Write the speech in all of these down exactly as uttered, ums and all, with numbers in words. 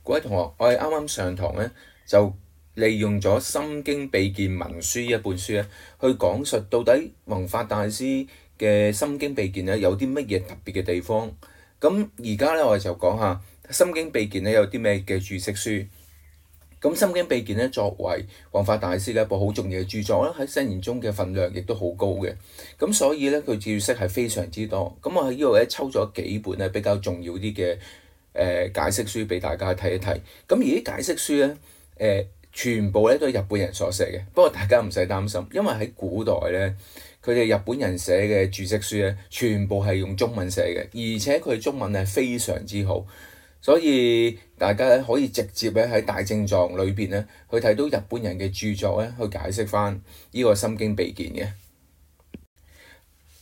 各位同學，我哋啱啱上堂咧，就利用咗《心經秘鍵文書》一本書咧，去講述到底弘法大師嘅《心經秘鍵》咧有啲乜嘢特別嘅地方。咁而家咧，我哋就講下《心經秘鍵》咧有啲咩嘅注釋書。咁《心經秘鍵》咧作為弘法大師嘅一部好重要嘅著作啦，喺聖言中嘅份量亦都好高嘅。咁所以咧，佢注釋係非常之多。咁我喺呢度咧抽咗幾本咧比較重要啲嘅誒解釋書俾大家睇一睇。咁而啲解釋書咧誒、呃、全部咧都係日本人所寫嘅。不過大家唔使擔心，因為喺古代咧，佢哋日本人寫嘅注釋書咧，全部係用中文寫嘅，而且佢中文係非常之好。所以大家咧可以直接咧喺大正藏裏邊咧去睇到日本人嘅著作咧，去解釋翻呢個心經秘鍵嘅。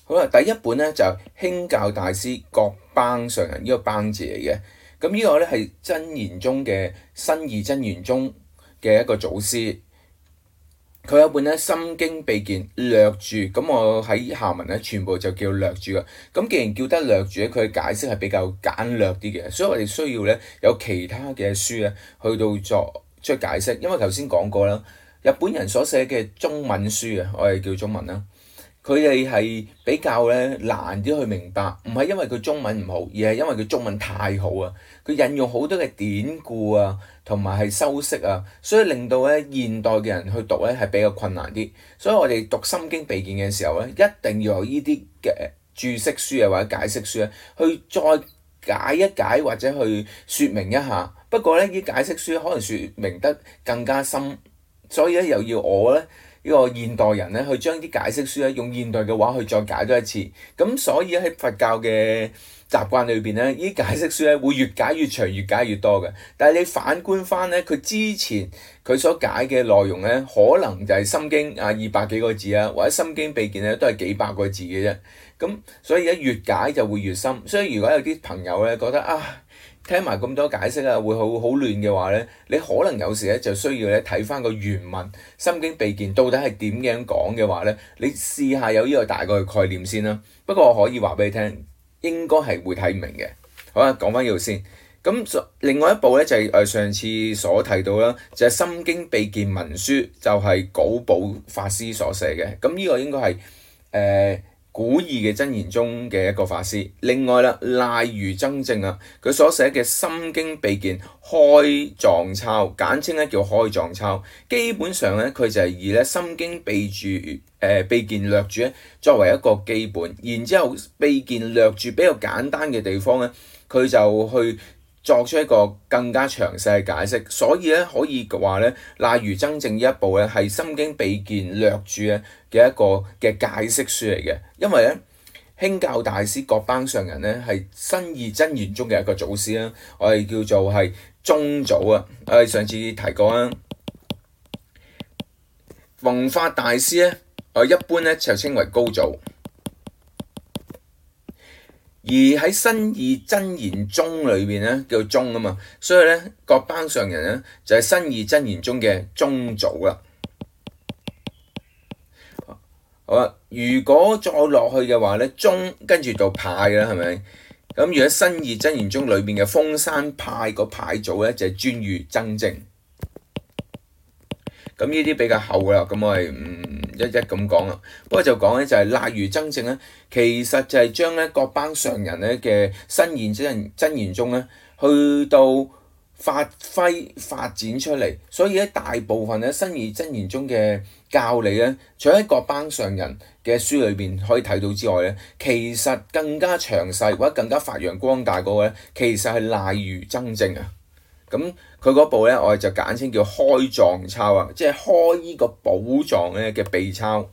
好啦，第一本咧就係、是、興教大師覺邦上人呢、這個邦字嚟嘅。咁呢個咧係真言宗嘅新義真言宗嘅一個祖師。佢有本咧《心經秘鍵略注》，咁我喺下文咧全部就叫略注啦。咁既然叫得略注咧，佢嘅解釋係比較簡略啲嘅，所以我哋需要咧有其他嘅書咧去到作出解釋。因為頭先講過啦，日本人所寫嘅中文書啊，我哋叫中文啦，佢哋係比較咧難啲去明白，唔係因為佢中文唔好，而係因為佢中文太好啊，佢引用好多嘅典故啊，同埋係修飾啊，所以令到咧現代嘅人去讀咧係比較困難啲。所以我哋讀心經秘鍵嘅時候咧，一定要有呢啲嘅注釋書啊或者解釋書咧，去再解一解或者去説明一下。不過咧，呢啲解釋書可能説明得更加深，所以咧又要我咧呢個現代人咧去將啲解釋書咧用現代嘅話去再解多一次。咁所以喺佛教嘅習慣裏邊咧，呢啲解釋書咧會越解越長，越解越多嘅。但係你反觀翻咧，佢之前佢所解嘅內容咧，可能就係心經啊二百幾個字啊，或者心經秘鍵咧都係幾百個字嘅啫。咁所以咧越解就會越深。所以如果有啲朋友咧覺得啊，聽埋咁多解釋啊，會好好亂嘅話咧，你可能有時咧就需要咧睇翻個原文《心經秘鍵》到底係點樣講嘅話咧，你試下有呢個大概嘅概念先啦。不過我可以話俾你聽，應該係會睇唔明嘅。好啦，講翻呢度先。咁另外一部咧就係誒上次所提到啦，就係、是《心經秘鍵文書》，就係、是、久保法師所寫嘅。咁呢個應該係誒。呃古義嘅真言宗嘅一個法師。另外啦，賴如增正啊，佢所寫嘅《心經秘鍵開藏抄》，簡稱咧叫開藏抄。基本上咧，佢就係以咧《心經秘注》誒秘鍵略注咧作為一個基本，然之後秘鍵略注比較簡單嘅地方咧，佢就去作出一個更加詳細嘅解釋。所以咧可以話咧，賴如增正呢一部咧係《心經秘鍵略注》咧嘅一個嘅解釋書嚟嘅。因為咧興教大師覺邦上人咧係新義真言宗嘅一個祖師啦，我哋叫做係宗祖啊。我哋上次提過啦，弘法大師咧，我一般咧就稱為高祖。而喺新義真言宗裏邊咧叫宗啊嘛，所以咧覺邦上人咧就係新義真言宗嘅宗祖啦。好啦，如果再落去嘅話咧，宗跟住到派啦，係咪？咁如果新義真言宗裏邊嘅豐山派個派祖咧就係尊喻增正。咁呢啲比較後啦，咁我係唔一一咁講啦。不過就講咧就係賴如增正咧，其實就係將咧覺邦上人咧嘅新義真真言宗咧去到發揮發展出嚟。所以咧大部分咧新義真言宗嘅教理咧，除咗喺覺邦上人嘅書裏邊可以睇到之外咧，其實更加詳細或者更加發揚光大嗰個咧，其實係賴如增正啊。咁佢嗰部咧，我哋就簡稱叫開藏抄啊，即係開呢個寶藏咧嘅秘抄。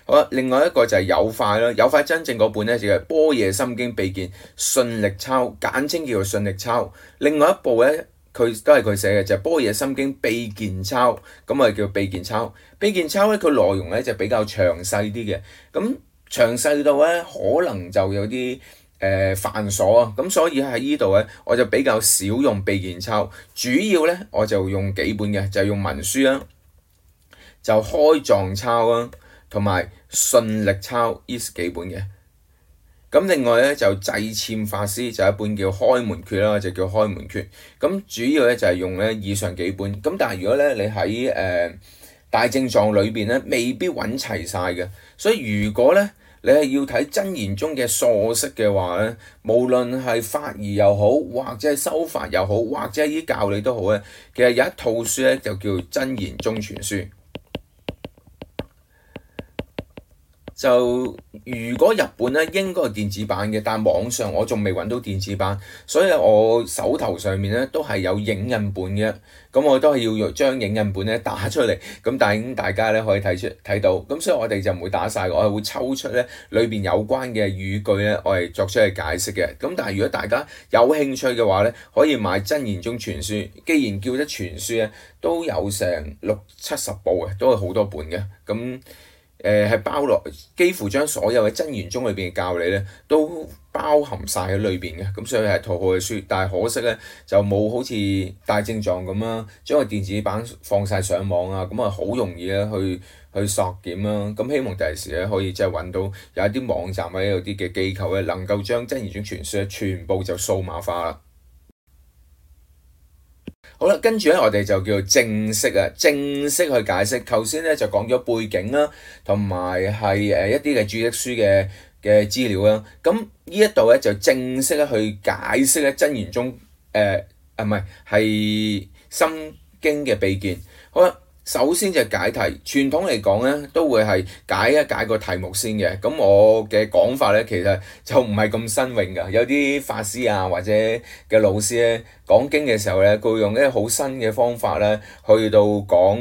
好啦，另外一個就係有快啦，有快真正嗰本咧就係般若心經秘鍵信力抄，簡稱叫做信力抄。另外一部咧，佢都係佢寫嘅，就係般若心經秘鍵抄，咁啊叫秘鍵抄。秘鍵抄咧，佢內容咧就比較詳細啲嘅，咁詳細到咧可能就有啲誒、呃、繁瑣啊，咁所以喺呢度咧，我就比較少用秘鍵抄，主要咧我就用幾本嘅，就係、用文書啦，就開藏抄啦，同埋信力抄呢幾本嘅。咁另外咧就濟僭法師就一本叫開門訣啦，就叫開門訣。咁主要咧就係用咧以上幾本。咁但係如果咧你喺誒、呃、大正藏裏邊咧，未必揾齊晒嘅。所以如果咧你係要睇真言宗嘅疏釋嘅話咧，無論係法義又好，或者係修法又好，或者係啲教理都好咧，其實有一套書咧就叫真言宗全書。就如果日本咧應該係電子版嘅，但係網上我仲未揾到電子版，所以我手頭上面咧都係有影印本嘅。咁我都係要將影印本咧打出嚟，咁但係大家咧可以睇出睇到。咁所以我哋就唔會打晒，我係會抽出咧裏邊有關嘅語句咧，我係作出去解釋嘅。咁但係如果大家有興趣嘅話咧，可以買真言宗全書。既然叫得全書咧，都有成六七十部嘅，都係好多本嘅。咁誒係包落，幾乎將所有嘅真言宗裏邊嘅教理咧，都包含晒喺裏邊嘅。咁所以係套好嘅書，但係可惜咧就冇好似大正藏咁啦，將個電子版放晒上網啊，咁啊好容易咧去去索檢啦。咁希望第時咧可以即係揾到有一啲網站或者有啲嘅機構咧，能夠將真言宗全書咧全部就數碼化啦。好啦，跟住咧，我哋就叫正式啊，正式去解釋。頭先咧就講咗背景啦，同埋係誒一啲嘅注釋書嘅嘅資料啦。咁呢一度咧就正式咧去解釋咧真言宗誒啊唔係係心經嘅秘見。好啦。首先就解題，傳統嚟講咧都會係解一解個題目先嘅。咁我嘅講法咧其實就唔係咁新穎㗎。有啲法師啊或者嘅老師咧講經嘅時候咧，佢會用一啲好新嘅方法咧去到講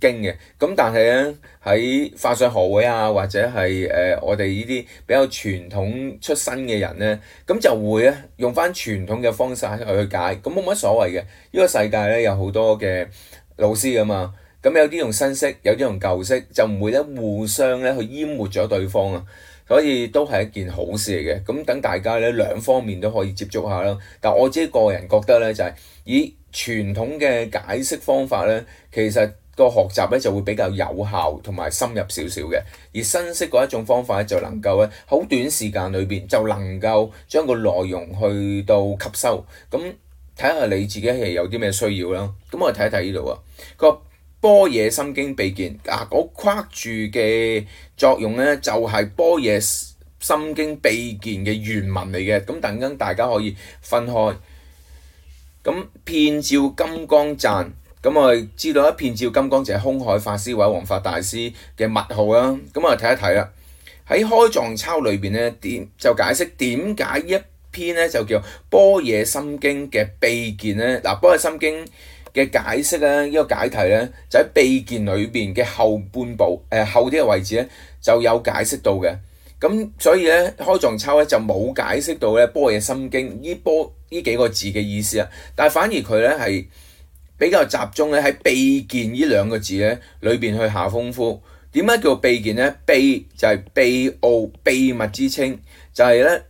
經嘅。咁但係咧喺法相學會啊或者係誒、呃、我哋呢啲比較傳統出身嘅人咧，咁就會咧用翻傳統嘅方式去去解。咁冇乜所謂嘅。呢、呢個世界咧有好多嘅老師㗎嘛。咁有啲用新式，有啲用舊式，就唔會咧互相咧去淹沒咗對方啊，所以都係一件好事嚟嘅。咁等大家咧兩方面都可以接觸下啦。但我自己個人覺得咧，就係、是、以傳統嘅解釋方法咧，其實個學習咧就會比較有效同埋深入少少嘅。而新式嗰一種方法咧，就能夠咧好短時間裏邊就能夠將個內容去到吸收。咁睇下你自己係有啲咩需要啦。咁我哋睇一睇呢度啊，個般若心經秘見啊，我框住嘅作用咧，就係般若心經秘見嘅原文嚟嘅。咁等陣大家可以分開。咁遍照金剛讚，咁我哋知道一遍照金剛就係空海法師或者弘法大師嘅密號啦。咁我哋睇一睇啦。喺開藏抄裏邊咧，點就解釋點解一篇咧就叫般若心經嘅秘見咧。嗱，般若心經嘅解釋咧，呢、這個解題咧就喺秘見裏邊嘅後半部，誒、呃、後啲嘅位置咧就有解釋到嘅。咁所以咧開藏抄咧就冇解釋到咧般若心經呢波呢幾個字嘅意思啊，但係反而佢咧係比較集中咧喺秘見呢兩個字咧裏邊去下功夫。點解叫秘見咧？秘就係秘奧秘密之稱，就係、是、咧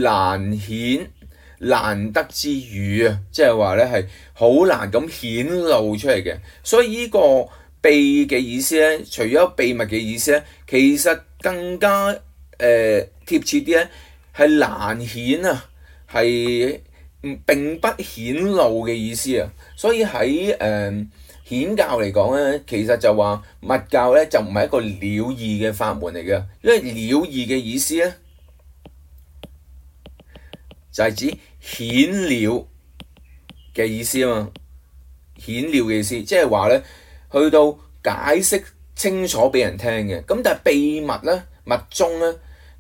難顯難得之語啊，即係話咧係好難咁顯露出嚟嘅。所以呢個秘嘅意思咧，除咗秘密嘅意思咧，其實更加誒、呃、貼切啲咧係難顯啊，係唔並不顯露嘅意思啊。所以喺誒顯教嚟講咧，其實就話密教咧就唔係一個了義嘅法門嚟嘅，因為了義嘅意思咧就係、是、指顯了嘅意思啊嘛，顯了嘅意思，即係話咧，去到解釋清楚俾人聽嘅。咁但係秘密咧、密宗咧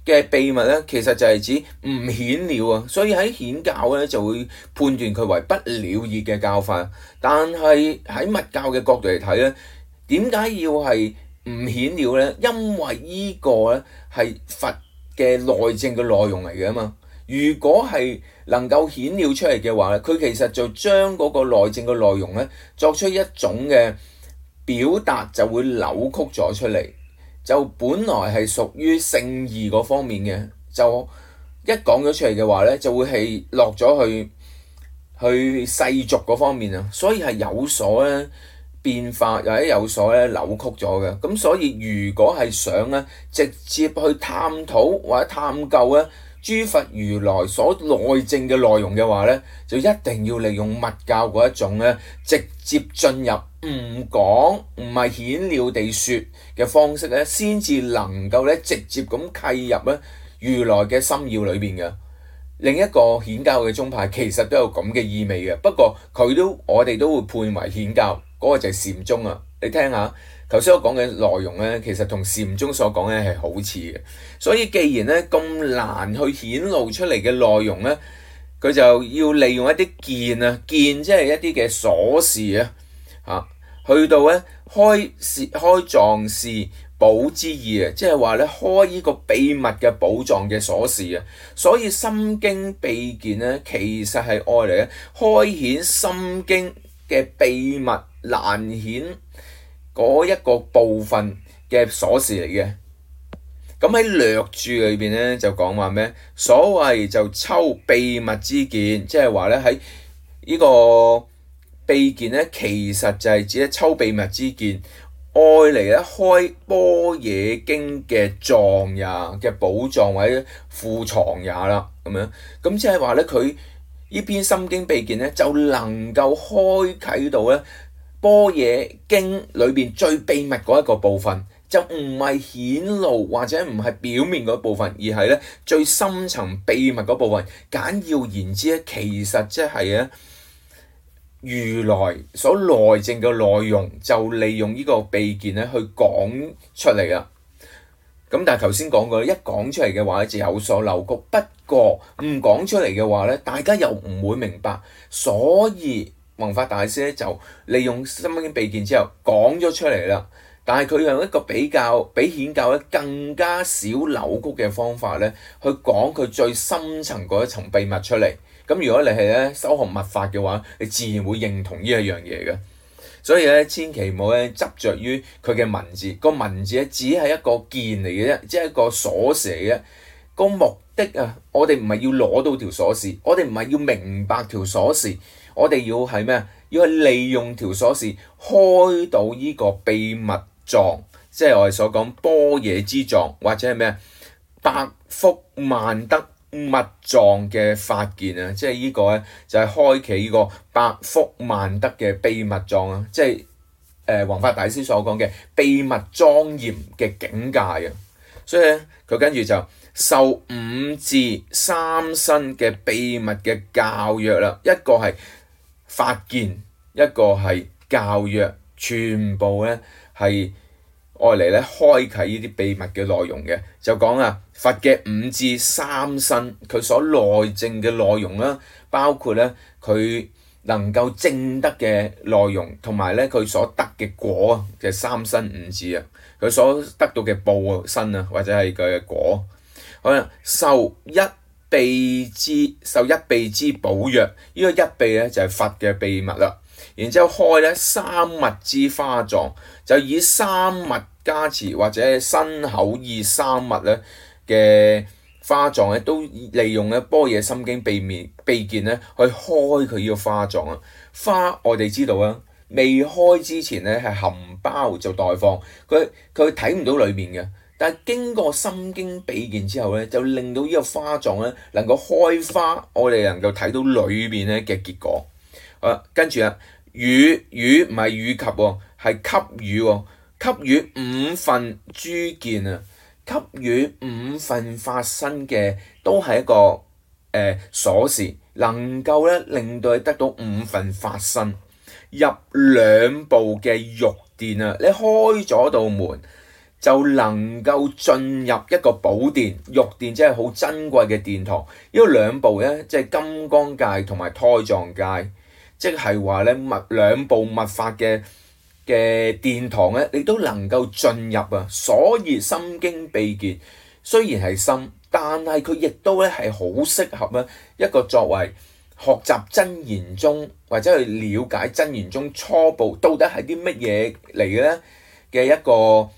嘅秘密咧，其實就係指唔顯了啊。所以喺顯教咧就會判斷佢為不了義嘅教法。但係喺密教嘅角度嚟睇咧，點解要係唔顯了咧？因為呢個咧係佛嘅內證嘅內容嚟嘅嘛。如果係能夠顯了出嚟嘅話咧，佢其實就將嗰個內證嘅內容咧作出一種嘅表達，就會扭曲咗出嚟。就本來係屬於聖義嗰方面嘅，就一講咗出嚟嘅話咧，就會係落咗去去世俗嗰方面啊。所以係有所咧變化，或者有所咧扭曲咗嘅。咁所以如果係想咧直接去探討或者探究咧諸佛如來所內證嘅內容嘅話咧，就一定要利用密教嗰一種咧，直接進入唔講唔係顯了地説嘅方式咧，先至能夠咧直接咁契入咧如來嘅心要裏邊嘅。另一個顯教嘅宗派其實都有咁嘅意味嘅，不過佢都我哋都會判為顯教，嗰、那個就係禪宗啊。你聽下頭先我講嘅內容咧，其實同禪宗所講咧係好似嘅。所以既然咧咁難去顯露出嚟嘅內容咧，佢就要利用一啲見啊，見即係一啲嘅鎖匙啊，嚇去到咧開示開藏事寶之意啊，即係話咧開呢個秘密嘅寶藏嘅鎖匙啊。所以心經秘見咧，其實係愛嚟咧開顯心經嘅秘密難顯嗰一個部分嘅鎖匙嚟嘅。咁喺略注裏邊咧就講話咩？所謂就抽秘密之見，即係話咧喺呢個秘見咧，其實就係指咧抽秘密之見，愛嚟咧開般若經嘅藏也嘅寶藏或者庫藏也啦，咁樣咁即係話咧佢呢篇心經秘見咧就能夠開啟到咧般若經裏邊最秘密嗰一個部分。就唔係顯露或者唔係表面嗰部分，而係咧最深層秘密嗰部分。簡要言之咧，其實即係咧如來所內證嘅內容，就利用呢個秘見咧去講出嚟啦。咁但係頭先講過，一講出嚟嘅話咧就有所扭曲。不過唔講出嚟嘅話咧，大家又唔會明白。所以弘法大師咧就利用心經秘見之後講咗出嚟啦。但係佢用一個比較比顯教咧更加少扭曲嘅方法咧，去講佢最深層嗰一層秘密出嚟。咁如果你係咧修學密法嘅話，你自然會認同呢一樣嘢嘅。所以咧，千祈唔好咧執着於佢嘅文字，個文字咧只係一個鍵嚟嘅啫，即係一個鎖匙嚟嘅。個目的啊，我哋唔係要攞到條鎖匙，我哋唔係要明白條鎖匙，我哋要係咩啊？要係利用條鎖匙開到呢個秘密藏，即係我哋所講般若之藏，或者係咩百福萬德密藏嘅法見啊！即係呢個咧就係開啟呢個百福萬德嘅秘密藏啊！即係誒弘法大師所講嘅秘密莊嚴嘅境界啊！所以咧佢跟住就受五智三身嘅秘密嘅教約啦，一個係法見，一個係教約，全部咧係愛嚟咧開啟呢啲秘密嘅內容嘅。就講啊佛嘅五智三身，佢所內證嘅內容啦，包括咧佢能夠證得嘅內容，同埋咧佢所得嘅果嘅三身五智啊，佢所得到嘅報身啊，或者係佢嘅果。好啦，受一秘之受一秘之寶約，呢、這個一秘咧就係佛嘅秘密啦。然之後開咧三密之花藏，就以三密加持或者身口意三密咧嘅花藏咧，都利用咧般若心經秘密秘見咧去開佢呢個花藏啊。花我哋知道啊，未開之前咧係含苞就待放，佢佢睇唔到裏面嘅。但係經過心經秘見之後咧，就令到呢個花藏咧能夠開花，我哋能夠睇到裏面咧嘅結果。啊，跟住啊，予予唔係予及喎，係給予喎，給予五分諸見啊，給予五分法身嘅都係一個誒、呃、鎖匙，能夠咧令到你得到五分法身。入兩部嘅玉殿啊，你開咗道門，就能夠進入一個寶殿，玉殿即係好珍貴嘅殿堂。呢個兩部咧，即係金剛界同埋胎藏界，即係話咧密兩部密法嘅嘅殿堂咧，你都能夠進入啊。所以心經秘見雖然係深，但係佢亦都咧係好適合咧一個作為學習真言宗或者去了解真言宗初步到底係啲乜嘢嚟嘅咧嘅一個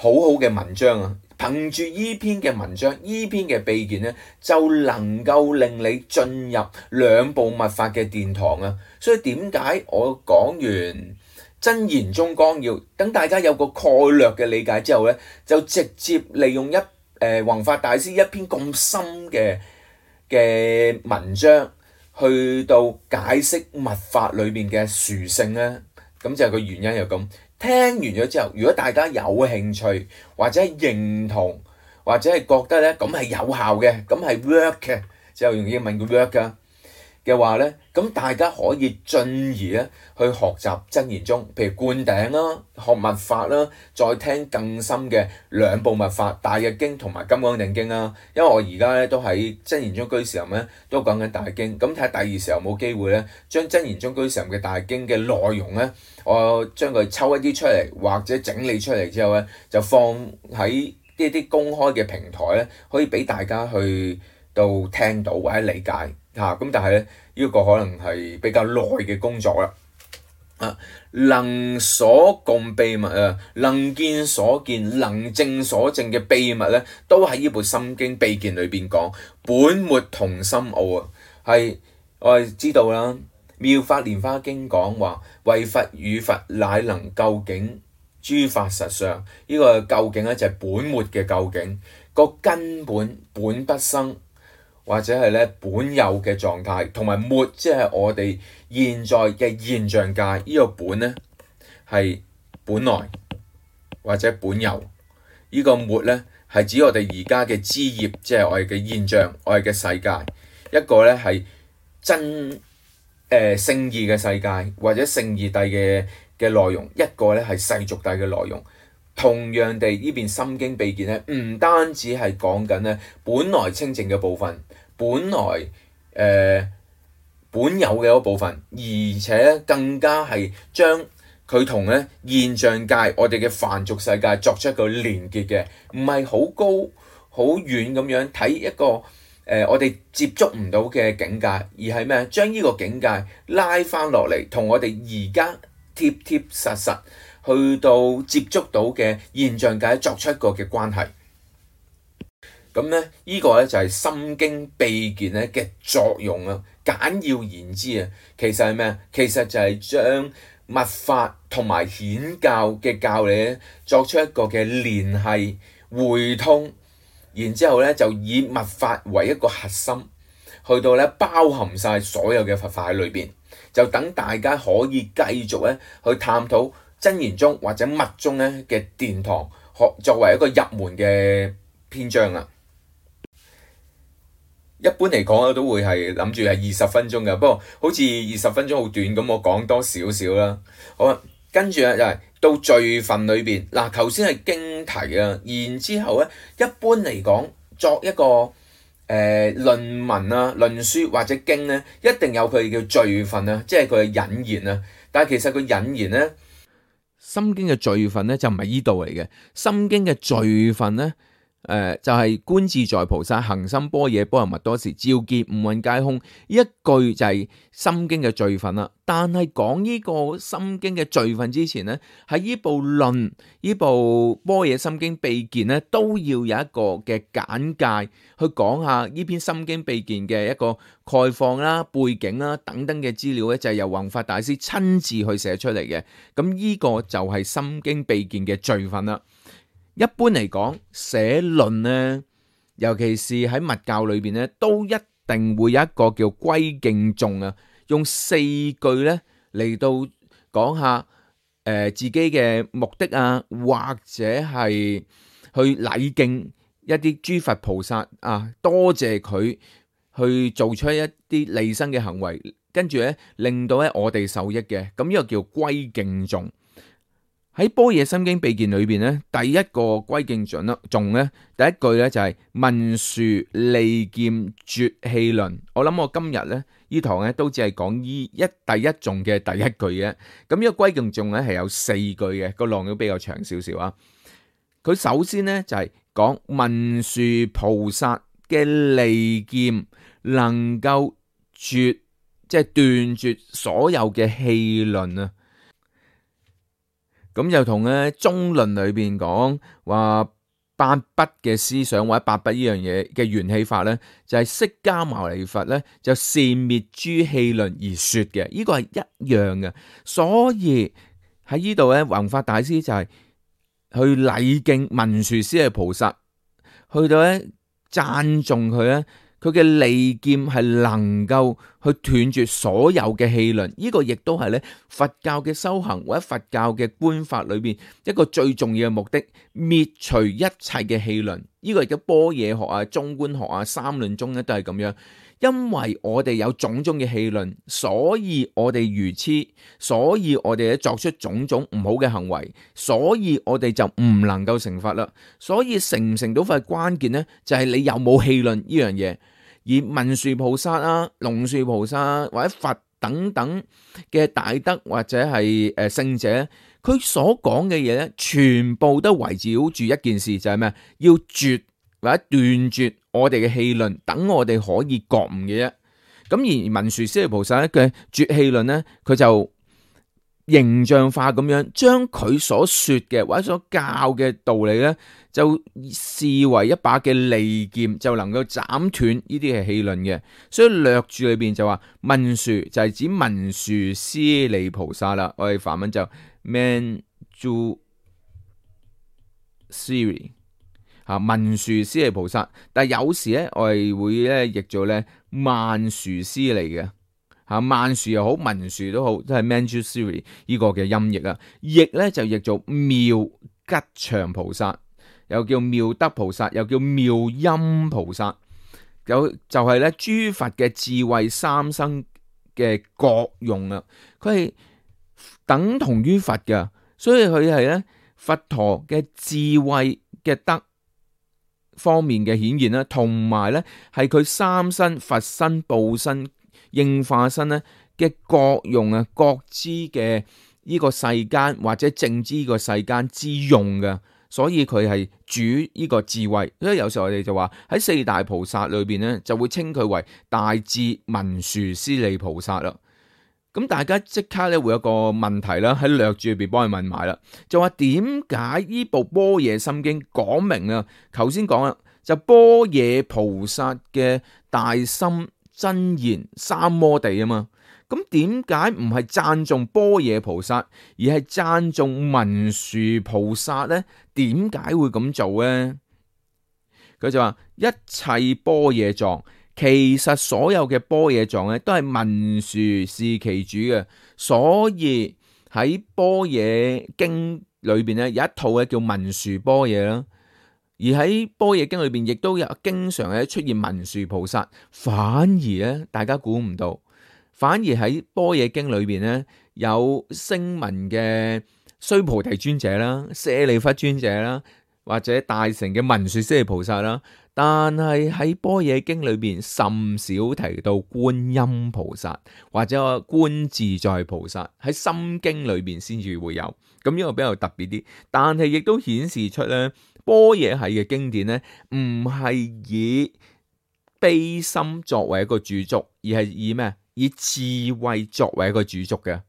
好好嘅文章啊！憑住依篇嘅文章，依篇嘅秘見咧，就能夠令你進入兩部密法嘅殿堂啊！所以點解我講完真言宗綱要，等大家有個概略嘅理解之後咧，就直接利用一誒弘法大師一篇咁深嘅嘅文章，去到解釋密法裏面嘅殊勝咧？咁就係個原因又咁。聽完咗之後，如果大家有興趣或者係認同，或者係覺得咧咁係有效嘅，咁係 work 嘅，就用英文叫 work 噶嘅話咧，咁大家可以進而咧去學習真言宗，譬如灌頂啦、學密法啦，再聽更深嘅兩部密法《大日經》同埋《金剛定經》啦。因為我而家咧都喺真言宗居士林咧都講緊大經，咁睇下第二時候冇機會咧，將真言宗居士林嘅大經嘅內容咧，我將佢抽一啲出嚟，或者整理出嚟之後咧，就放喺呢啲公開嘅平台咧，可以俾大家去到聽到或者理解嚇。咁、啊、但係咧，呢、這個可能係比較耐嘅工作啦。啊，能所共秘密啊，能見所見，能證所證嘅秘密咧，都喺呢部《心經秘見》裏邊講，本末同深奧啊。係我哋知道啦，《妙法蓮華經》講話，為佛與佛乃能究竟諸法實相。呢、這個究竟咧就係本末嘅究竟，個根本本不生，或者係咧本有嘅狀態，同埋末即係我哋現在嘅現象界。呢、這個本咧係本來或者本有，呢、這個末咧係指我哋而家嘅枝葉，即係我哋嘅現象，我哋嘅世界。一個咧係真誒、呃、聖義嘅世界，或者聖義諦嘅嘅內容，一個咧係世俗諦嘅內容。同樣地，呢邊《心經秘見》咧，唔單止係講緊咧本來清淨嘅部分，本來誒、呃、本有嘅嗰部分，而且咧更加係將佢同咧現象界我哋嘅凡俗世界作出一個連結嘅，唔係好高好遠咁樣睇一個誒、呃、我哋接觸唔到嘅境界，而係咩？將呢個境界拉翻落嚟，同我哋而家貼貼實實去到接觸到嘅現象界作出一個嘅關係。咁咧，呢、這個咧就係、是《心經秘見》咧嘅作用啊。簡要言之啊，其實係咩啊？其實就係將密法同埋顯教嘅教理咧作出一個嘅聯繫匯通，然之後咧就以密法為一個核心，去到咧包含晒所有嘅佛法喺裏邊，就等大家可以繼續咧去探討真言宗或者密宗咧嘅殿堂，學作為一個入門嘅篇章啊。一般嚟講咧都會係諗住係二十分鐘嘅，不過好似二十分鐘好短咁，我講多少少啦。好啊，跟住咧就係、是、到序分裏邊嗱，頭先係經題啊，然之後咧一般嚟講作一個誒、呃、論文啊、論書或者經咧，一定有佢叫序分啊，即係佢嘅引言啊。但係其實佢引言咧，《心經》嘅序分咧就唔係依度嚟嘅，《心經》嘅序分咧。誒、呃、就係、是、觀自在菩薩行深般若波羅蜜多時，照見五蘊皆空。呢一句就係心經嘅序分啦。但係講呢個心經嘅序分之前咧，喺呢部論呢部般若心經秘見咧，都要有一個嘅簡介去講下呢篇心經秘見嘅一個概況啦、背景啦等等嘅資料咧，就係、是、由弘法大師親自去寫出嚟嘅。咁呢個就係心經秘見嘅序分啦。一般嚟講，寫論咧，尤其是喺密教裏邊咧，都一定會有一個叫歸敬頌啊，用四句咧嚟到講下誒、呃、自己嘅目的啊，或者係去禮敬一啲諸佛菩薩啊，多謝佢去做出一啲利生嘅行為，跟住咧令到咧我哋受益嘅，咁呢個叫歸敬頌。喺般若心經秘見裏邊咧，第一個歸敬頌啦，頌咧第一句咧就係文殊利劍絕戲論。我諗我今日咧呢堂咧都只係講依一第一頌嘅第一句嘅。咁呢個歸敬頌咧係有四句嘅，個浪都比較長少少啊。佢首先咧就係講文殊菩薩嘅利劍能夠絕，即係斷絕所有嘅戲論啊。咁就同咧中論裏邊講話八不嘅思想或者八不呢樣嘢嘅緣起法咧，就係、是、釋迦牟尼佛咧就善滅諸戲論而說嘅，呢、這個係一樣嘅。所以喺呢度咧，弘法大師就係去禮敬文殊師利菩薩，去到咧讚頌佢咧，佢嘅利劍係能夠去斷絕所有嘅戲論。呢、這個亦都係咧佛教嘅修行或者佛教嘅觀法裏邊一個最重要嘅目的，滅除一切嘅戲論。呢、這個亦都般若學啊、中觀學啊、三論宗咧都係咁樣。因為我哋有種種嘅戲論，所以我哋愚痴，所以我哋咧作出種種唔好嘅行為，所以我哋就唔能夠成佛啦。所以成唔成到佛關鍵咧，就係你有冇戲論呢樣嘢。而文殊菩薩啊、龍樹菩薩或者佛等等嘅大德或者係誒聖者，佢所講嘅嘢咧，全部都圍繞住一件事，就係咩？要絕或者斷絕我哋嘅戲論，等我哋可以覺悟嘅啫。咁而文殊師利菩薩嘅絕戲論咧，佢就形象化咁樣將佢所說嘅或者所教嘅道理咧，就視為一把嘅利劍，就能夠斬斷呢啲嘅戲論嘅。所以略注裏邊就話文殊就係指文殊師利菩薩啦。我哋梵文就 Manju Sri。啊，文殊師利菩薩，但係有時咧，我哋會咧譯做咧曼殊師利嘅，嚇曼殊又好，文殊都好，都係 Manjushri 呢個嘅音譯啊。譯咧就譯做妙吉祥菩薩，又叫妙德菩薩，又叫妙音菩薩。有就係咧諸佛嘅智慧三生嘅國用啊，佢係等同於佛嘅，所以佢係咧佛陀嘅智慧嘅德方面嘅顯現啦，同埋咧係佢三身佛身、報身、應化身咧嘅各用啊，各知嘅呢個世間或者正知呢個世間之用嘅，所以佢係主呢個智慧。所以有時候我哋就話喺四大菩薩裏邊咧，就會稱佢為大智文殊師利菩薩啦。咁大家即刻咧會有個問題啦，喺略注裏邊幫佢問埋啦，就話點解呢部般若心經講明啊？頭先講啦，就般若菩薩嘅大心真言三摩地啊嘛。咁點解唔係讚頌般若菩薩，而係讚頌文殊菩薩咧？點解會咁做咧？佢就話一切般若藏。其實所有嘅般若藏咧，都係文殊是其主嘅，所以喺般若經裏邊咧有一套嘅叫文殊般若啦，而喺般若經裏邊亦都有經常咧出現文殊菩薩，反而咧大家估唔到，反而喺般若經裏邊咧有聲聞嘅須菩提尊者啦、舍利弗尊者啦，或者大乘嘅文殊師利菩薩啦。但係喺般若經裏邊甚少提到觀音菩薩或者觀自在菩薩，喺心經裏邊先至會有，咁呢個比較特別啲。但係亦都顯示出咧，般若系嘅經典咧唔係以悲心作為一個主軸，而係以咩？以智慧作為一個主軸嘅。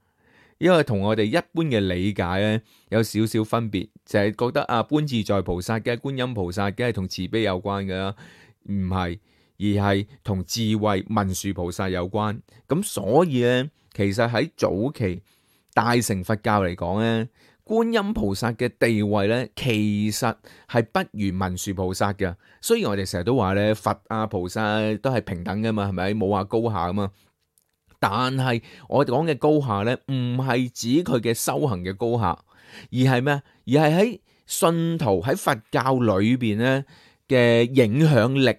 因為同我哋一般嘅理解咧有少少分別，就係、是、覺得啊觀自在菩薩嘅觀音菩薩梗係同慈悲有關嘅啦，唔係，而係同智慧文殊菩薩有關。咁所以咧，其實喺早期大乘佛教嚟講咧，觀音菩薩嘅地位咧，其實係不如文殊菩薩嘅。雖然我哋成日都話咧，佛啊菩薩都係平等噶嘛，係咪？冇話高下噶嘛。但係我哋講嘅高下咧，唔係指佢嘅修行嘅高下，而係咩？而係喺信徒喺佛教裏邊咧嘅影響力，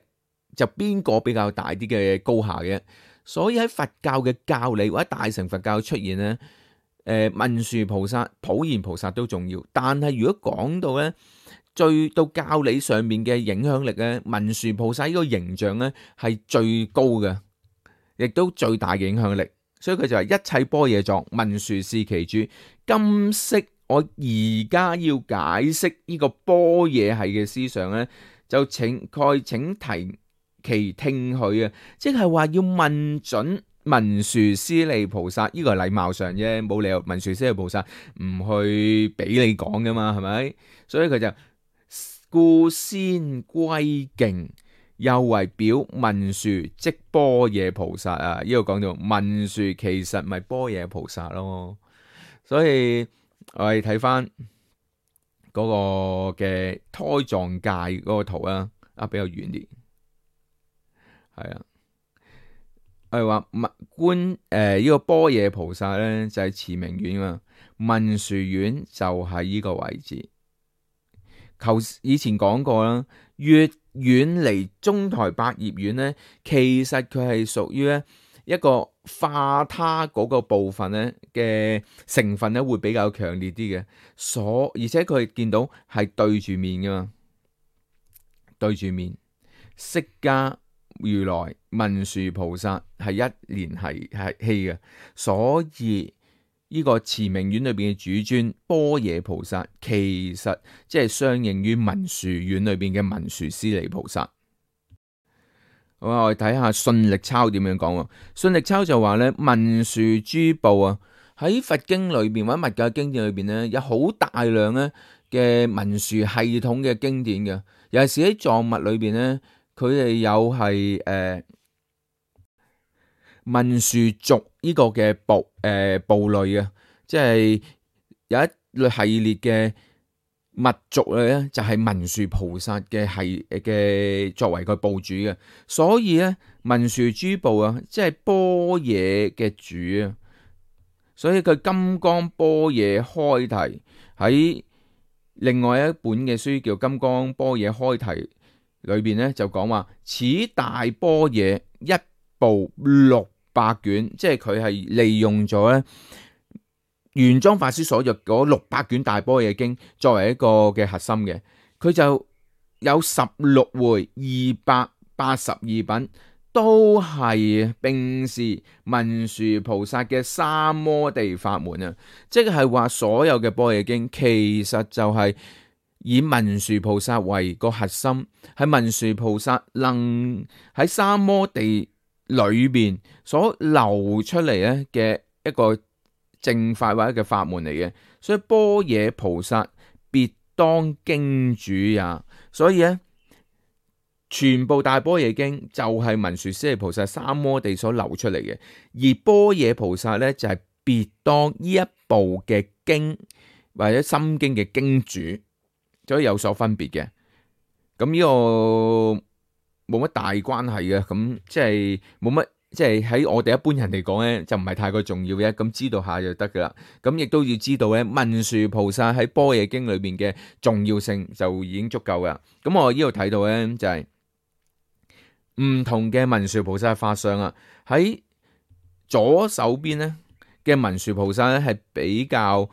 就邊個比較大啲嘅高下嘅？所以喺佛教嘅教理或者大乘佛教出現咧，誒、呃、文殊菩薩、普賢菩薩都重要。但係如果講到咧，最到教理上面嘅影響力咧，文殊菩薩呢個形象咧係最高嘅。亦都最大嘅影響力，所以佢就係一切般若藏，文殊是其主。今昔我而家要解釋呢個般若系嘅思想咧，就請蓋請提其聽許啊，即係話要問準文殊師利菩薩，呢個係禮貌上啫，冇理由文殊師利菩薩唔去俾你講噶嘛，係咪？所以佢就故先歸敬。又為表文殊即般若菩薩啊！呢度講到文殊其實咪般若菩薩咯，所以我哋睇翻嗰個嘅胎藏界嗰個圖啊，啊，比較遠啲，係啊。我哋話文觀誒呢個般若菩薩咧就係持明院啊，文殊院就係呢個位置。求以前講過啦，越遠離中台百葉院咧，其實佢係屬於咧一個化他嗰個部分咧嘅成分咧會比較強烈啲嘅，所而且佢見到係對住面噶嘛，對住面釋迦如來文殊菩薩係一連係係氣嘅，所以呢個持明院裏邊嘅主尊般若菩薩，其實即係相應於文殊院裏邊嘅文殊師利菩薩。好啊，我哋睇下信力鈔點樣講喎。信力鈔就話咧，文殊諸部啊，喺佛經裏邊或者密教經典裏邊咧，有好大量咧嘅文殊系統嘅經典嘅，尤其是喺藏密裏邊咧。佢哋有係誒、呃、文殊族呢個嘅部誒、呃、部類嘅，即係有一類系列嘅密族咧，就係文殊菩薩嘅係嘅作為個部主嘅，所以咧文殊諸部啊，即係般若嘅主啊，所以佢金剛般若開提喺另外一本嘅書叫《金剛般若開提》。裏邊咧就講話，此大般若一部六百卷，即係佢係利用咗咧玄奘法師所著嗰六百卷大般若經作為一個嘅核心嘅，佢就有十六回二百八十二品，都係並是文殊菩薩嘅三摩地法門啊！即係話所有嘅般若經其實就係以文殊菩薩為個核心，係文殊菩薩能喺三摩地裏邊所流出嚟咧嘅一個正法或者嘅法門嚟嘅，所以般若菩薩別當經主也。所以咧，全部大般若經就係文殊師利菩薩三摩地所流出嚟嘅，而般若菩薩咧就係別當呢一部嘅經或者心經嘅經主。所以有所分別嘅，咁呢個冇乜大關係嘅，咁即係冇乜，即係喺我哋一般人嚟講咧，就唔係太過重要嘅，咁知道下就得噶啦。咁亦都要知道咧，文殊菩薩喺般若經裏邊嘅重要性就已經足夠噶。咁我呢度睇到咧就係唔同嘅文殊菩薩法相啊，喺左手邊咧嘅文殊菩薩咧係比較誒、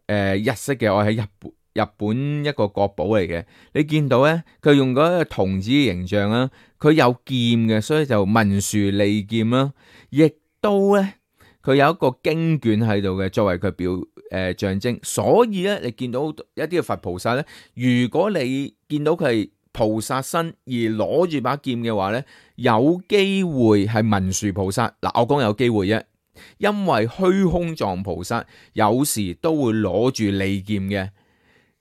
呃、日式嘅，我喺日本。日本一個國寶嚟嘅，你見到咧，佢用嗰個童子嘅形象啦，佢有劍嘅，所以就文殊利劍啦，亦都咧佢有一個經卷喺度嘅，作為佢表誒、呃、象徵。所以咧，你見到一啲嘅佛菩薩咧，如果你見到佢係菩薩身而攞住把劍嘅話咧，有機會係文殊菩薩。嗱，我講有機會啫，因為虛空藏菩薩有時都會攞住利劍嘅。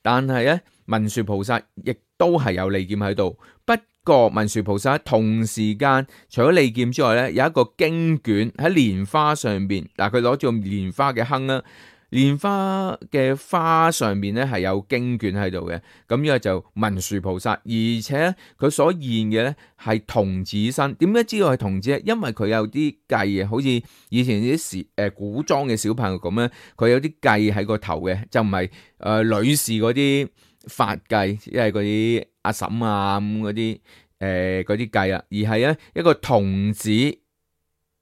但係咧，文殊菩薩亦都係有利劍喺度。不過文殊菩薩同時間除咗利劍之外咧，有一個經卷喺蓮花上邊。嗱，佢攞住蓮花嘅坑啦，蓮花嘅花上邊咧係有經卷喺度嘅。咁呢個就文殊菩薩，而且佢所現嘅咧係童子身。點解知道係童子咧？因為佢有啲髻啊，好似以前啲時誒古裝嘅小朋友咁咧，佢有啲髻喺個頭嘅，就唔係誒女士嗰啲髮髻，即係嗰啲阿嬸啊咁嗰啲誒嗰啲髻啊，而係咧一個童子去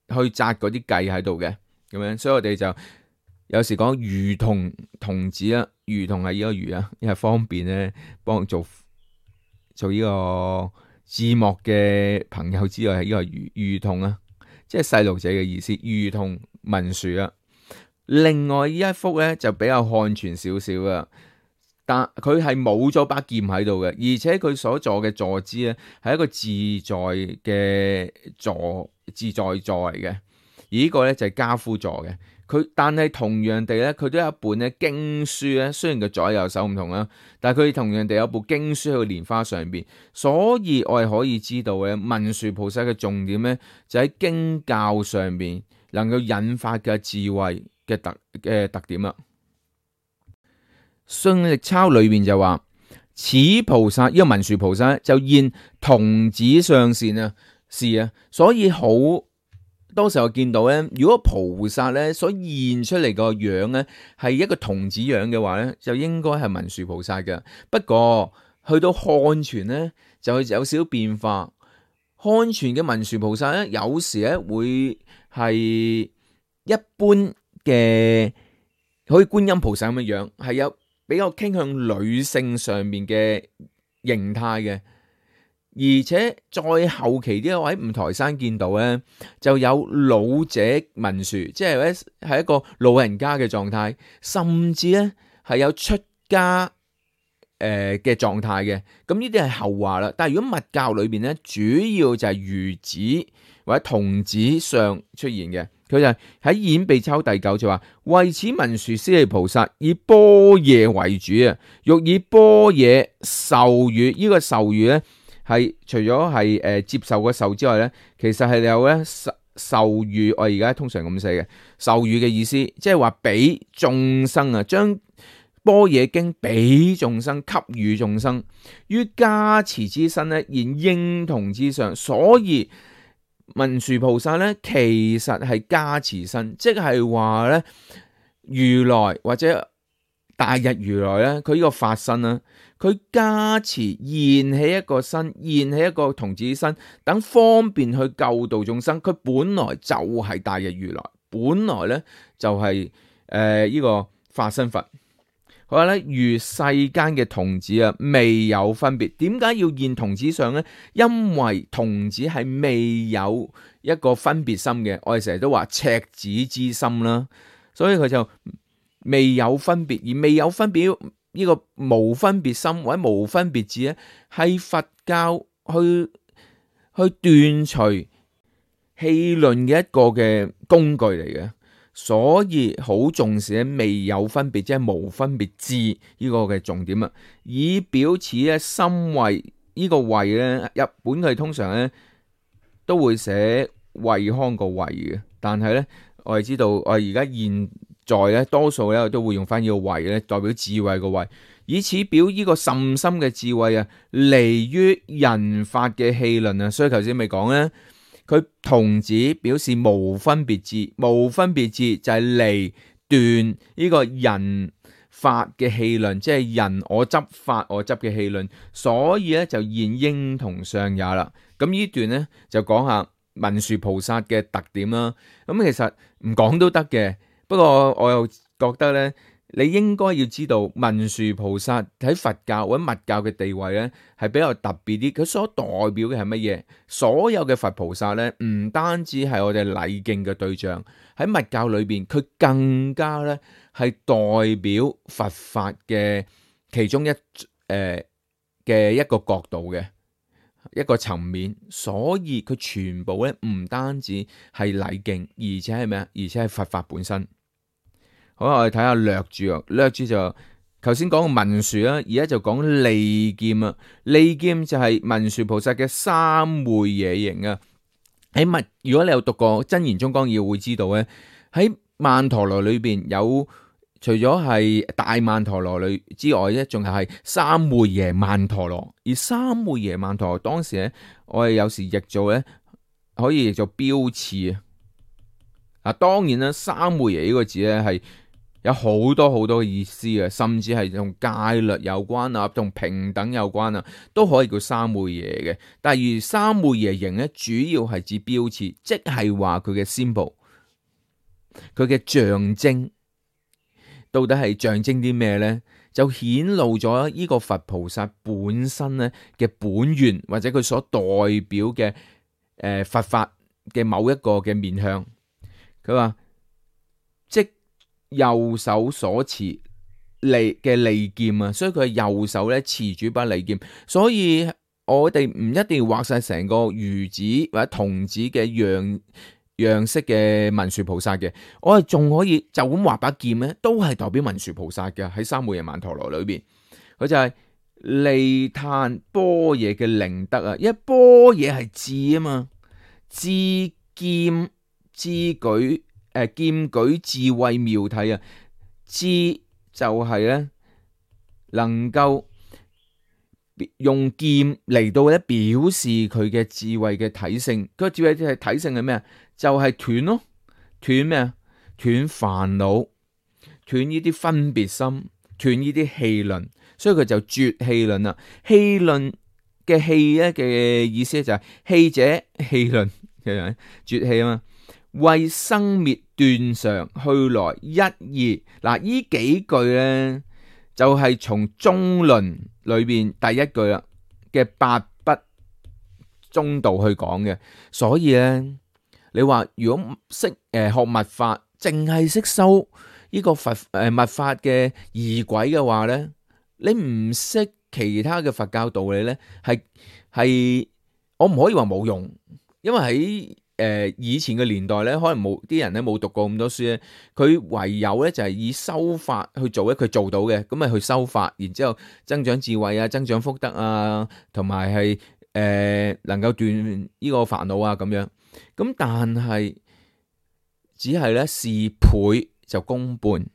紮嗰啲髻喺度嘅咁樣，所以我哋就有時講孺童童子啦，孺童係呢個孺啊，因為方便咧幫做做呢個字幕嘅朋友之外，係呢個孺孺童啊，即係細路仔嘅意思。孺童文殊啊，另外呢一幅咧就比較漢傳少少啊，但佢係冇咗把劍喺度嘅，而且佢所坐嘅坐姿咧係一個自在嘅坐自在座嚟嘅，而呢個咧就係跏趺坐嘅。佢但係同樣地咧，佢都有一本咧經書咧，雖然佢左右手唔同啦，但係佢同樣地有部經書喺個蓮花上邊，所以我係可以知道嘅文殊菩薩嘅重點咧，就喺經教上邊能夠引發嘅智慧嘅特嘅特點啦。信力鈔裏邊就話：此菩薩呢個文殊菩薩就現童子相善啊，是啊，所以好多時候見到咧，如果菩薩咧所現出嚟個樣咧係一個童子樣嘅話咧，就應該係文殊菩薩嘅。不過去到漢傳咧就有少少變化，漢傳嘅文殊菩薩咧有時咧會係一般嘅，好似觀音菩薩咁嘅樣，係有比較傾向女性上面嘅形態嘅。而且再後期啲我喺五台山見到咧，就有老者文殊，即係咧係一個老人家嘅狀態，甚至咧係有出家誒嘅狀態嘅。咁呢啲係後話啦。但係如果密教裏邊咧，主要就係孺子或者童子相出現嘅。佢就係喺演秘鈔第九就話：為此文殊師利菩薩以般若為主啊，欲以般若授予。呢、這個授予咧。係除咗係誒接受個受之外咧，其實係有咧授授予，我而家通常咁寫嘅授予嘅意思，即係話俾眾生啊，將般若經俾眾生，給予眾生於加持之身咧，現應童之相。所以文殊菩薩咧，其實係加持身，即係話咧如來或者大日如來咧，佢呢個法身啦。佢加持現起一個身，現起一個童子身，等方便去救度眾生。佢本來就係大日如來，本來咧就係誒呢個化身佛。佢話咧，如世間嘅童子啊，未有分別。點解要現童子相咧？因為童子係未有一個分別心嘅。我哋成日都話赤子之心啦，所以佢就未有分別，而未有分別。呢個無分別心或者無分別智咧，係佛教去去斷除戲論嘅一個嘅工具嚟嘅，所以好重視咧未有分別，即係無分別智呢個嘅重點啊，以表此咧心慧。呢個慧咧，日本佢通常咧都會寫惠康個惠嘅，但係咧我哋知道我哋而家現在咧，多數咧都會用翻呢個慧咧，代表智慧個慧，以此表呢個甚深嘅智慧啊，離於人法嘅戲論啊。所以頭先咪講咧，佢童子表示無分別智，無分別智就係離斷呢個人法嘅戲論，即係人我執法我執嘅戲論，所以咧就現應童相也啦。咁呢段咧就講下文殊菩薩嘅特點啦。咁其實唔講都得嘅。不過我又覺得咧，你應該要知道文殊菩薩喺佛教或者密教嘅地位咧，係比較特別啲。佢所代表嘅係乜嘢？所有嘅佛菩薩咧，唔單止係我哋禮敬嘅對象，喺密教裏邊，佢更加咧係代表佛法嘅其中一誒嘅、呃、一個角度嘅一個層面。所以佢全部咧唔單止係禮敬，而且係咩啊？而且係佛法本身。好，我哋睇下略注啊，略注就頭先講文殊啦，而家就講利劍啊。利劍就係文殊菩薩嘅三昧耶形啊。喺密，如果你有讀過《真言宗綱要》，會知道咧，喺曼陀羅裏邊有除咗係大曼陀羅裏之外咧，仲係三昧耶曼陀羅。而三昧耶曼陀羅當時咧，我哋有時譯做咧，可以譯做標賜啊。嗱，當然啦，三昧耶呢個字咧係有好多好多嘅意思嘅，甚至係同戒律有關啊，同平等有關啊，都可以叫三昧耶嘅。但係而三昧耶形咧，主要係指標誌，即係話佢嘅 symbol，佢嘅象徵，到底係象徵啲咩咧？就顯露咗呢個佛菩薩本身咧嘅本願，或者佢所代表嘅誒、呃、佛法嘅某一個嘅面向。佢話即右手所持利嘅利劍啊，所以佢係右手咧持住把利劍，所以我哋唔一定要畫晒成個孺子或者童子嘅樣樣式嘅文殊菩薩嘅，我哋仲可以就咁畫把劍咧，都係代表文殊菩薩嘅。喺三昧耶曼陀羅裏邊，佢就係利嘆般若嘅靈德啊，因為般若係智啊嘛，智劍智舉。誒，劍舉智慧妙體啊，智就係咧能夠用劍嚟到咧表示佢嘅智慧嘅體性。佢個智慧嘅體性係咩啊？就係斷咯，斷咩啊？斷煩惱，斷呢啲分別心，斷呢啲戲論。所以佢就絕戲論啦。戲論嘅戲咧嘅意思就係戲者戲論，絕戲啊嘛。為生滅斷常去來一義。嗱，呢幾句咧就係從中論裏邊第一句啦嘅八不中道去講嘅。所以咧，你話如果識誒學密法，淨係識修呢個佛誒密法嘅儀軌嘅話咧，你唔識其他嘅佛教道理咧，係係我唔可以話冇用，因為喺誒、呃、以前嘅年代咧，可能冇啲人咧冇讀過咁多書咧，佢唯有咧就係以修法去做咧，佢做到嘅，咁咪去修法，然之後增長智慧啊，增長福德啊，同埋係誒能夠斷呢個煩惱啊咁樣。咁但係只係咧事倍就功半。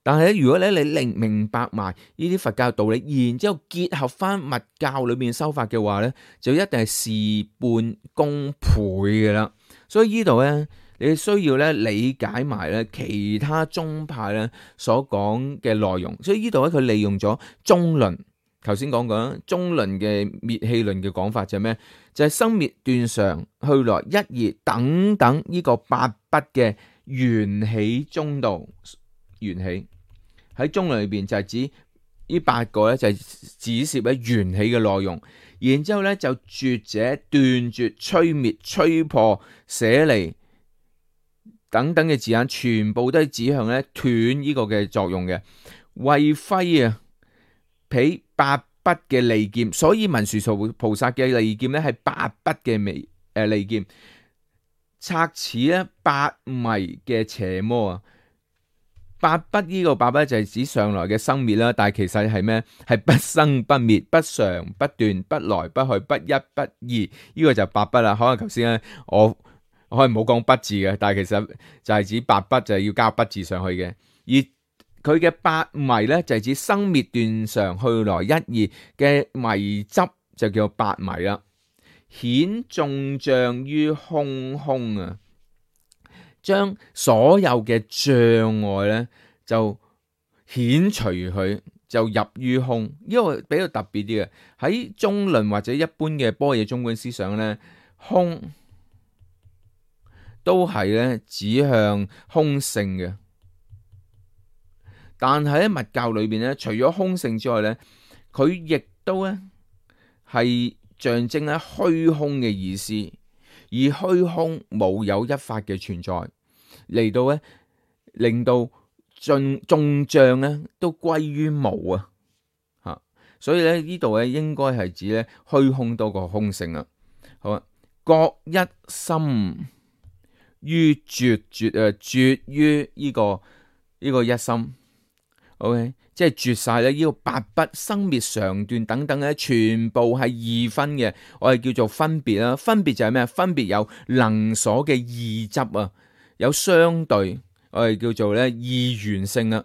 但係咧，如果咧你明明白埋呢啲佛教道理，然之後結合翻密教裏面修法嘅話咧，就一定係事半功倍嘅啦。所以呢度咧，你需要咧理解埋咧其他宗派咧所講嘅內容。所以呢度咧，佢利用咗中論，頭先講過中論嘅滅氣論嘅講法就係咩？就係、是、生滅斷常去來一義等等呢個八不嘅緣起中道。緣起喺中論裏邊就係指呢八個咧，就係指涉咧緣起嘅內容，然之後咧就絕者斷絕、摧滅、摧破、捨離等等嘅字眼，全部都係指向咧斷呢個嘅作用嘅。為揮啊，彼八不嘅利劍，所以文殊菩薩嘅利劍咧係八不嘅微誒利劍，拆此咧八迷嘅邪魔啊。八不呢個八不就係指上來嘅生滅啦，但係其實係咩？係不生不滅、不常不斷、不來不去、不一不二，呢、這個就八不啦。可能頭先咧我我可能冇講不字嘅，但係其實就係指八不就係要加不字上去嘅。而佢嘅八迷咧就係指生滅斷常去來一二嘅迷執，就叫八迷啦。顯眾障於空空啊！將所有嘅障礙咧，就遣除佢，就入於空。因為比較特別啲嘅，喺中論或者一般嘅般若中觀思想咧，空都係咧指向空性嘅。但係喺密教裏邊咧，除咗空性之外咧，佢亦都咧係象徵咧虛空嘅意思。而虛空冇有一法嘅存在，嚟到咧令到眾眾障咧都歸於無啊！吓，所以咧呢度咧應該係指咧虛空多過空性啊。好啊，各一心於絕絕啊，絕於呢個呢個一心。OK，即係絕晒咧，呢個八不生滅常斷等等咧，全部係二分嘅，我哋叫做分別啦。分別就係咩？分別有能所嘅二執啊，有相對，我哋叫做咧二元性啦。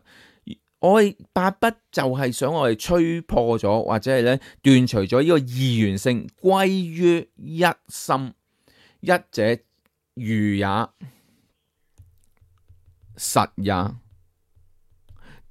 我哋八不就係想我哋吹破咗，或者係咧斷除咗呢個二元性，歸於一心。一者如也，實也。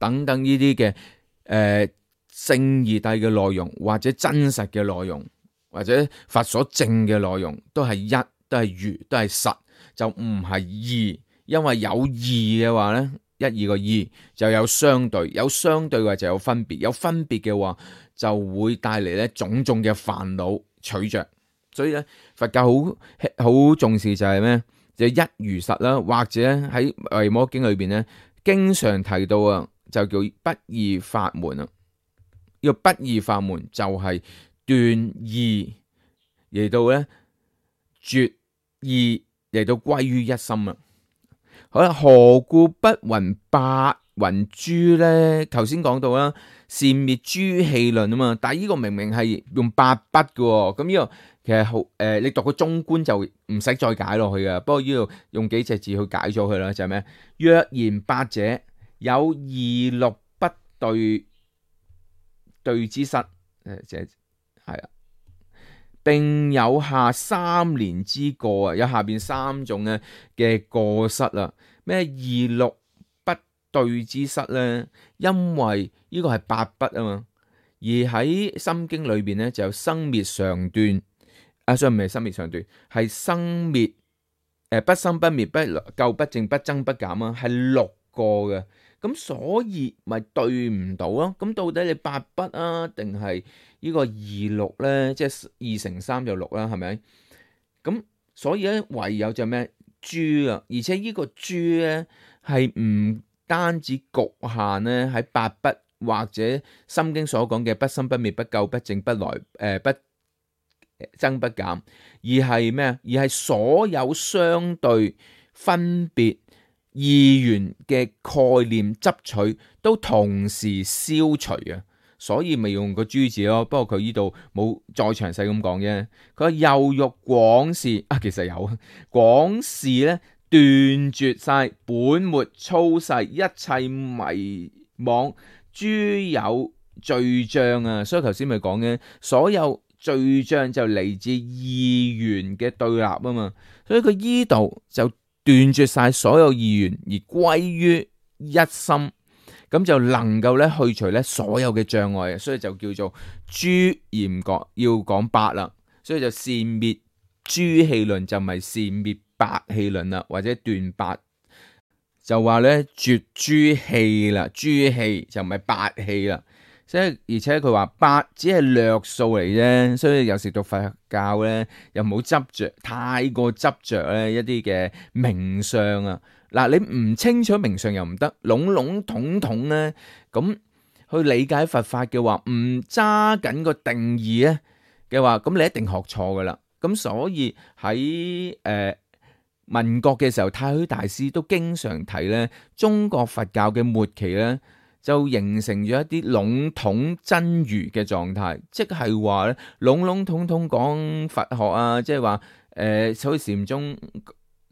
等等呢啲嘅誒聖義諦嘅內容，或者真實嘅內容，或者佛所證嘅內容，都係一，都係如，都係實，就唔係二。因為有二嘅話咧，一二個二就有相對，有相對嘅話就有分別，有分別嘅話就會帶嚟咧種種嘅煩惱取着。所以咧佛教好好重視就係咩？就係一如實啦，或者喺維摩經裏邊咧，經常提到啊。就叫不二法門啊！呢個不二法門就係斷二嚟到咧絕二嚟到歸於一心啊！好啦，何故不云八云諸咧？頭先講到啦，善滅諸戲論啊嘛，但係呢個明明係用八不嘅喎，咁呢個其實好誒、呃，你讀個中觀就唔使再解落去嘅。不過呢度用幾隻字去解咗佢啦，就係咩？若言八者，有二六不對對之失，誒即係係啊。並有下三年之過啊，有下邊三種咧嘅過失啊。咩二六不對之失咧？因為呢個係八不啊嘛，而喺心經裏邊咧就有生滅常斷啊，所以唔係生滅常斷，係生滅誒、呃、不生不滅不垢不淨不增不減啊，係六個嘅。咁所以咪對唔到咯。咁到底你八不啊，定係呢個二六咧？即係二乘三就六啦，係咪？咁所以咧，唯有就咩誅啊？而且呢個誅咧係唔單止局限咧喺八不或者心經所講嘅不生不滅不垢不淨不來誒、呃、不增不減，而係咩啊？而係所有相對分別二元嘅概念執取都同時消除啊，所以咪用個誅字咯。不過佢呢度冇再詳細咁講啫。佢話又欲廣示啊，其實有廣示咧，斷絕晒本末粗細一切迷惘諸有罪障啊。所以頭先咪講嘅，所有罪障就嚟自二元嘅對立啊嘛。所以佢依度就斷絕晒所有二元而歸於一心，咁就能夠咧去除咧所有嘅障礙，所以就叫做誅嚴覺要講八啦。所以就善滅誅氣論就唔係善滅八氣論啦，或者斷八就話咧絕誅氣啦，誅氣就唔係八氣啦。即係而且佢話八只係略數嚟啫，所以有時讀佛教咧又冇執着，太過執着咧一啲嘅名相啊。嗱，你唔清楚名相又唔得，籠籠統統咧咁去理解佛法嘅話，唔揸緊個定義咧嘅話，咁你一定學錯噶啦。咁所以喺誒、呃、民國嘅時候，太虛大師都經常提咧，中國佛教嘅末期咧，就形成咗一啲籠統真如嘅狀態，即係話咧籠籠統統講佛學啊，即係話誒，好似禪宗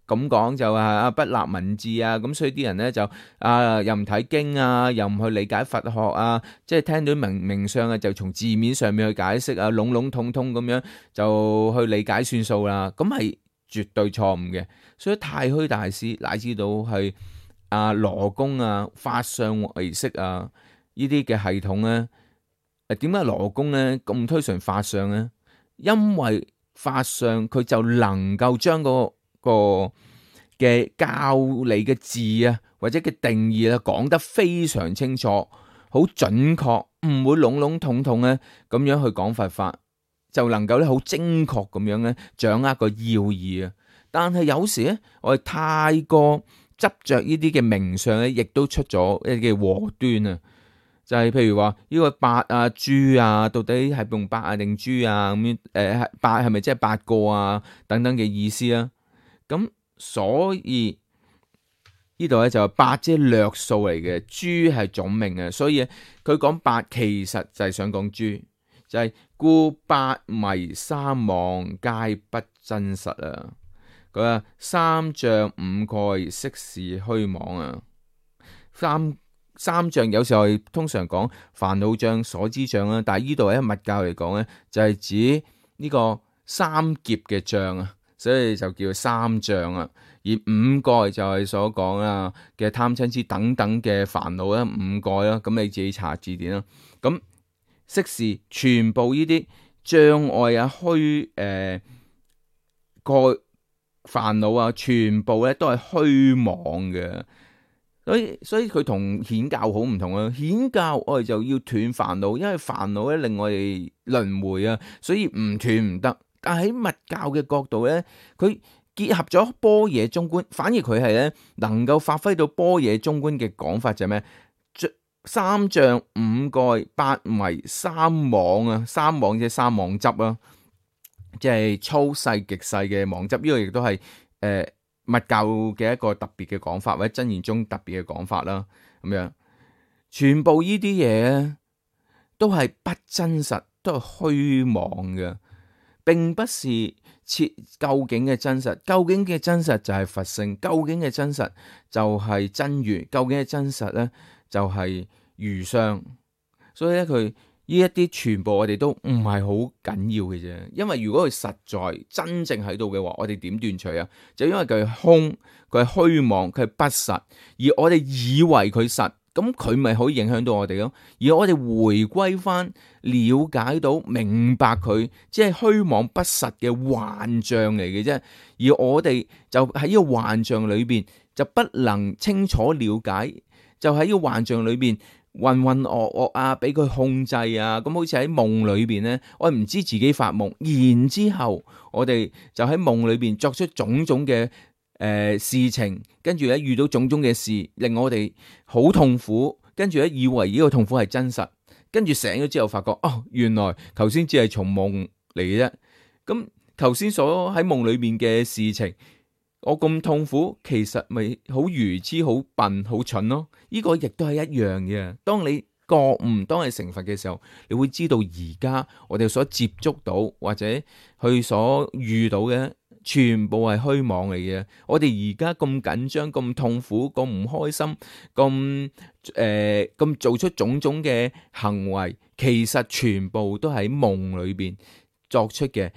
咁講就係啊不立文字啊，咁所以啲人咧就啊又唔睇經啊，又唔去理解佛學啊，即係聽到名名相啊，就從字面上面去解釋啊，籠籠統統咁樣就去理解算數啦，咁係絕對錯誤嘅。所以太虛大師乃至到係啊羅公啊法相唯識啊呢啲嘅系統咧，誒點解羅公咧咁推崇法相咧？因為法相佢就能夠將嗰個嘅教理嘅字啊或者嘅定義啊講得非常清楚，好準確，唔會籠籠統統咧咁樣去講佛法，就能夠咧好精確咁樣咧掌握個要義啊。但係有時咧我哋太過執着呢啲嘅名相咧，亦都出咗一啲嘅禍端啊！就係、是、譬如話呢個八啊、誅啊，到底係用八啊定誅啊咁樣？誒，八係咪即係八個啊？等等嘅意思啊？咁所以呢度咧就係八即係略數嚟嘅，誅係總名嘅，所以佢講八其實就係想講誅，就係、是、故八迷三妄皆不真實啊！佢話三障五蓋悉是虛妄啊！三三障有時候係通常講煩惱障、所知障啦，但係呢度喺密教嚟講咧，就係指呢個三劫嘅障啊，所以就叫三障啊。而五蓋就係所講啊嘅貪嗔痴等等嘅煩惱啦，五蓋啦，咁你自己查字典啦。咁悉是全部呢啲障礙啊、虛誒蓋煩惱啊，全部咧都係虛妄嘅。所以所以佢同顯教好唔同啊！顯教我哋就要斷煩惱，因為煩惱咧令我哋輪迴啊，所以唔斷唔得。但喺密教嘅角度咧，佢結合咗般若中觀，反而佢係咧能夠發揮到般若中觀嘅講法就係咩？三障五蓋八迷三妄啊，三妄即係三妄執啊，即係粗細極細嘅妄執。呢個亦都係誒。呃密教嘅一個特別嘅講法，或者真言宗特別嘅講法啦，咁樣全部呢啲嘢都係不真實，都係虛妄嘅，並不是切究竟嘅真實。究竟嘅真實就係佛性，究竟嘅真實就係真如，究竟嘅真實咧就係如相。所以咧佢呢一啲全部我哋都唔係好緊要嘅啫，因為如果佢實在真正喺度嘅話，我哋點斷除啊？就因為佢係空，佢係虛妄，佢係不實，而我哋以為佢實，咁佢咪可以影響到我哋咯？而我哋回歸翻，了解到明白佢即係虛妄不實嘅幻象嚟嘅啫，而我哋就喺呢個幻象裏邊就不能清楚了解，就喺呢個幻象裏邊。渾渾噩噩啊，俾佢控制啊，咁好似喺夢裏邊呢，我唔知自己發夢，然之後我哋就喺夢裏邊作出種種嘅誒、呃、事情，跟住咧遇到種種嘅事，令我哋好痛苦，跟住咧以為呢個痛苦係真實，跟住醒咗之後發覺，哦，原來頭先只係從夢嚟嘅啫，咁頭先所喺夢裏面嘅事情。我咁痛苦，其實咪好愚痴、好笨、好蠢咯。呢個亦都係一樣嘅。當你覺悟，當你成佛嘅時候，你會知道而家我哋所接觸到或者去所遇到嘅，全部係虛妄嚟嘅。我哋而家咁緊張、咁痛苦、咁唔開心、咁誒咁做出種種嘅行為，其實全部都喺夢裏邊作出嘅。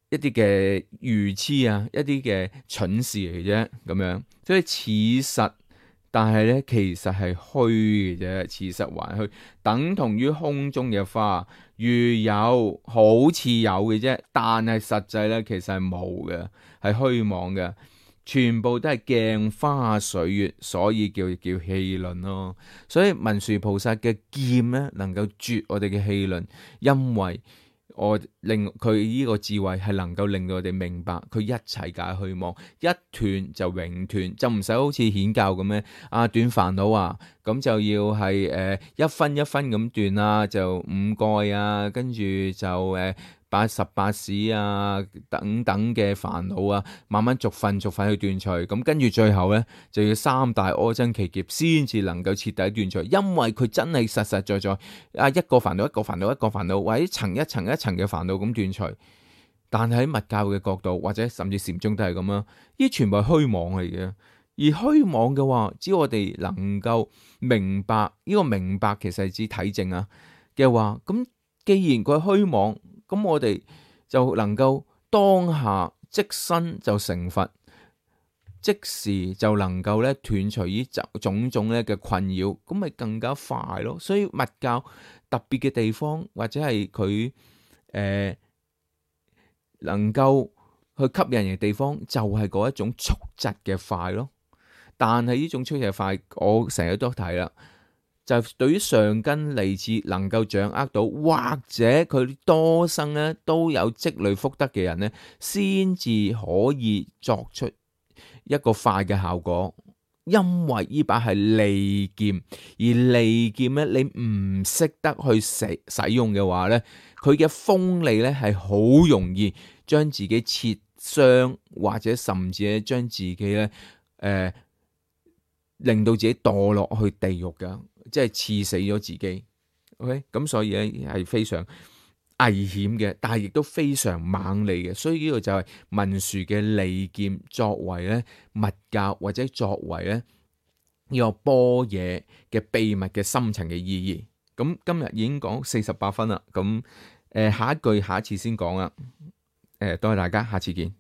一啲嘅愚痴啊，一啲嘅蠢事嚟啫，咁樣，所以似實，但係咧其實係虛嘅啫，似實還虛，等同於空中嘅花，如有好似有嘅啫，但係實際咧其實係冇嘅，係虛妄嘅，全部都係鏡花水月，所以叫叫戲論咯。所以文殊菩薩嘅劍咧，能夠絕我哋嘅戲論，因為。我令佢呢個智慧係能夠令到我哋明白佢一切解虛妄，一斷就永斷，就唔使好似顯教咁樣啊斷煩惱啊，咁就要係誒、呃、一分一分咁斷啊，就五蓋啊，跟住就誒八十八使啊等等嘅煩惱啊，慢慢逐份逐份去斷除，咁跟住最後咧就要三大阿僧祇劫先至能夠徹底斷除，因為佢真係實實在在啊一個煩惱一個煩惱一個煩惱，或者層一層一層嘅煩惱咁斷除。但係喺密教嘅角度，或者甚至禪宗都係咁啦，呢全部係虛妄嚟嘅。而虛妄嘅話，只要我哋能夠明白呢個明白，其實係指體證啊嘅話，咁既然佢係虛妄。咁我哋就能夠當下即身就成佛，即時就能夠咧斷除呢種種咧嘅困擾，咁咪更加快咯。所以密教特別嘅地方，或者係佢誒能夠去吸引人嘅地方，就係嗰一種速疾嘅快咯。但係呢種速疾嘅快，我成日都提啦。就對於上根利智能夠掌握到，或者佢多生咧都有積累福德嘅人咧，先至可以作出一個快嘅效果。因為呢把係利劍，而利劍咧你唔識得去使使用嘅話咧，佢嘅鋒利咧係好容易將自己切傷，或者甚至咧將自己咧誒、呃、令到自己墮落去地獄噶。即係刺死咗自己 ，OK，咁所以咧係非常危險嘅，但係亦都非常猛利嘅，所以呢個就係文殊嘅利劍作為咧密教或者作為咧呢個般若嘅秘密嘅深層嘅意義。咁今日已經講四十八分啦，咁誒下一句下一次先講啦，誒多謝大家，下次見。